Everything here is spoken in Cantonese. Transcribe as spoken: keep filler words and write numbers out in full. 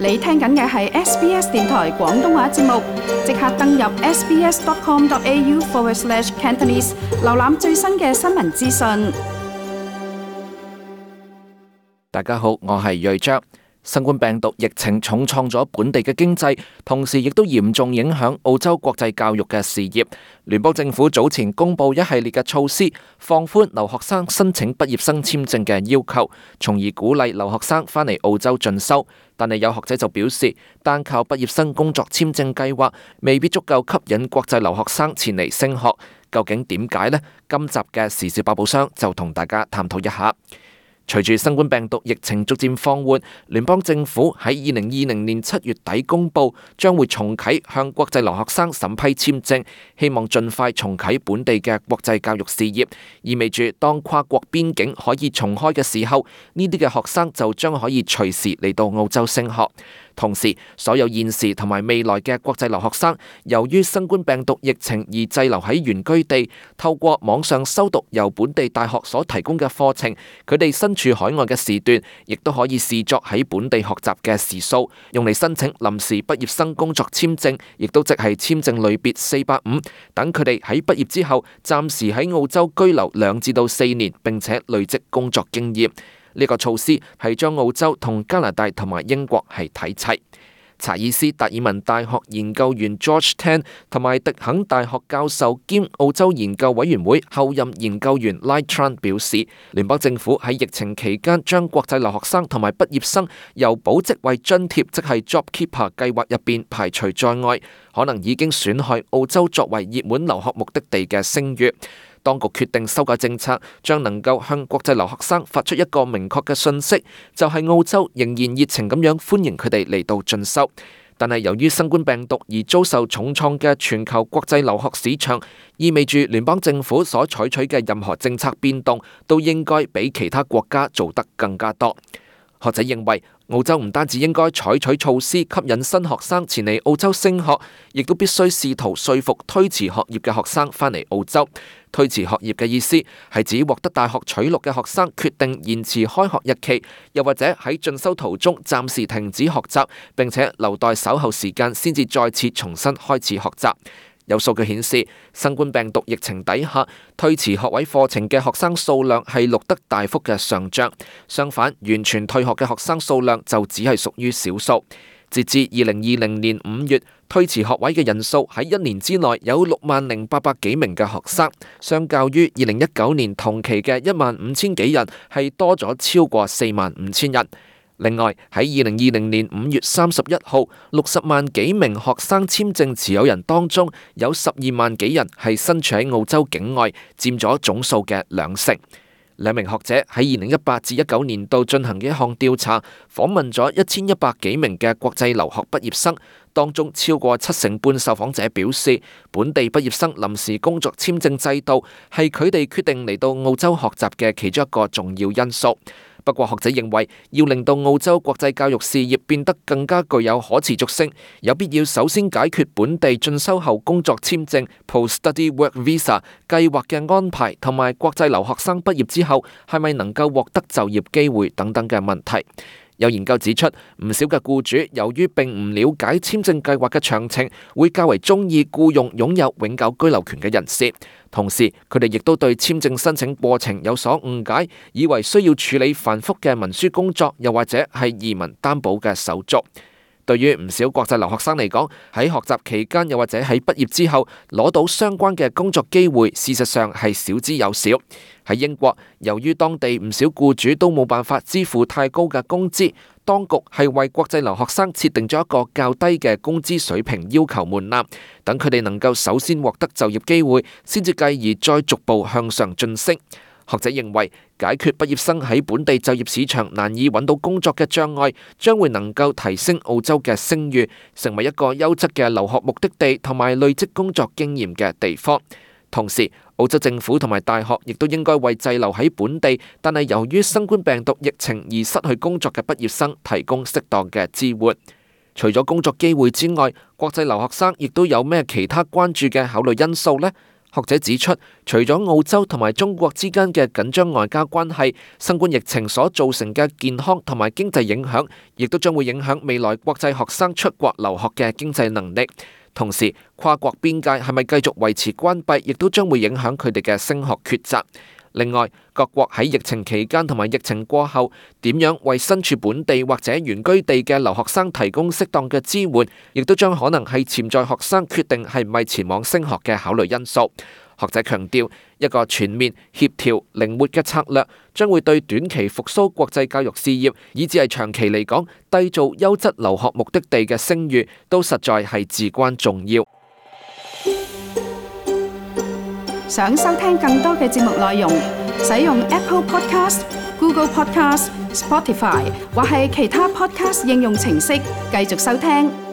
你聽緊嘅係 S B S 電台廣東話節目，即刻登入 sbs.com.au forward slash Cantonese， 瀏覽最新嘅新聞資訊。大家好，我係睿章。新冠病毒疫情重創咗本地嘅經濟，同時亦都嚴重影響澳洲國際教育嘅事業。聯邦政府早前公布一系列嘅措施，放寬留學生申請畢業生簽證嘅要求，從而鼓勵留學生返嚟澳洲進修。但係有學者就表示，單靠畢業生工作簽證計劃未必足夠吸引國際留學生前嚟升學。究竟點解呢？今集嘅時事百寶箱就同大家探討一下。隨住新冠病毒疫情逐漸放緩，聯邦政府喺二零二零年七月底公布，將會重啟向國際留學生審批簽證，希望盡快重啟本地嘅國際教育事業，意味住當跨國邊境可以重開嘅時候，呢啲嘅學生就將可以隨時嚟到澳洲升學。同時，所有現時同埋未來嘅國際留學生，由於新冠病毒疫情而滯留喺原居地，透過網上修讀由本地大學所提供嘅課程，佢哋身處海外嘅時段，亦都可以視作喺本地學習嘅時數，用嚟申請臨時畢業生工作簽證，亦都即係簽證類別四百五，等佢哋喺畢業之後，暫時喺澳洲居留兩至到四年，並且累積工作經驗。呢個措施係將澳洲同加拿大同埋英國係睇齊。查爾斯達爾文大學研究員 George Tan 同埋迪肯大學教授兼澳洲研究委員會後任研究員 Lai Tran 表示，聯邦政府喺疫情期間將國際留學生同埋畢業生由保職位津貼，即係 JobKeeper 計劃入邊排除在外，可能已經損害澳洲作為熱門留學目的地嘅聲譽。當局決定修改政策，將能夠向國際留學生發出一個明確嘅訊息，就係澳洲仍然熱情咁樣歡迎佢哋嚟到進修。但係由於新冠病毒而遭受重創嘅全球國際留學市場，意味住聯邦政府所採取嘅任何政策變動，都應該比其他國家做得更加多。學者認為，澳洲唔單止應該採取措施吸引新學生前嚟澳洲升學，亦都必須試圖說服推遲學業嘅學生返嚟澳洲。推遲學業嘅意思係指獲得大學取錄嘅學生決定延遲開學日期，又或者喺進修途中暫時停止學習，並且留待稍後時間先至再次重新開始學習。有數據顯示，新冠病毒疫情底下，推遲學位課程嘅學生數量係錄得大幅嘅上漲。相反，完全退學嘅學生數量就只係屬於少數。截至二零二零年五月，推遲學位嘅人數喺一年之內有六萬零八百幾名嘅學生，相較於二零一九年同期嘅一萬五千幾人，係多咗超過四萬五千人。另外，喺二零二零年五月三十一號，六十萬幾名學生簽證持有人當中，有十二萬幾人係身處喺澳洲境外，佔咗總數嘅兩成。兩名學者喺二零一八至一九年度進行嘅一項調查，訪問咗一千一百幾名嘅國際留學畢業生，當中超過七成半受訪者表示，本地畢業生臨時工作簽證制度係佢哋決定嚟到澳洲學習嘅其中一個重要因素。不過學者認為，要令到澳洲國際教育事業變得更加具有可持續性，有必要首先解決本地進修後工作簽證 Post-Study Work Visa 計劃嘅安排，同埋國際留學生畢業之後係咪能夠獲得就業機會等等嘅問題。有研究指出，唔少嘅僱主由於並唔了解簽證計劃嘅詳情，會較為中意僱用擁有永久居留權嘅人士。同時，佢哋亦都對簽證申請過程有所誤解，以為需要處理繁複嘅文書工作，又或者係移民擔保嘅手續。對於唔少國際留學生嚟講，喺學習期間又或者喺畢業之後攞到相關嘅工作機會，事實上係少之又少。喺英國，由於當地唔少僱主都冇辦法支付太高嘅工資，當局係為國際留學生設定咗一個較低嘅工資水平要求門檻，等佢哋能夠首先獲得就業機會，先至繼而再逐步向上晉升。學者認為，解決畢業生喺本地就業市場難以揾到工作嘅障礙，將會能夠提升澳洲嘅聲譽，成為一個優質嘅留學目的地同埋累積工作經驗嘅地方。同時，澳洲政府同埋大學亦都應該為滯留喺本地，但係由於新冠病毒疫情而失去工作嘅畢業生提供適當嘅支援。除咗工作機會之外，國際留學生亦都有咩其他關注嘅考慮因素呢？學者指出，除咗澳洲同埋中國之間嘅緊張外交關係，新冠疫情所造成嘅健康同埋經濟影響，亦都將會影響未來國際學生出國留學嘅經濟能力。同時，跨國邊界係咪繼續維持關閉，亦都將會影響佢哋嘅升學抉擇。另外，各國喺疫情期間同埋疫情過後，點樣為身處本地或者原居地嘅留學生提供適當嘅支援，亦都將可能係潛在學生決定係咪前往升學嘅考慮因素。學者強調，一個全面、協調、靈活嘅策略，將會對短期復甦國際教育事業，以至係長期嚟講，締造優質留學目的地嘅聲譽，都實在係至關重要。想收聽更多嘅節目內容，使用 Apple Podcast、Google Podcast、Spotify 或係其他 Podcast 應用程式繼續收聽。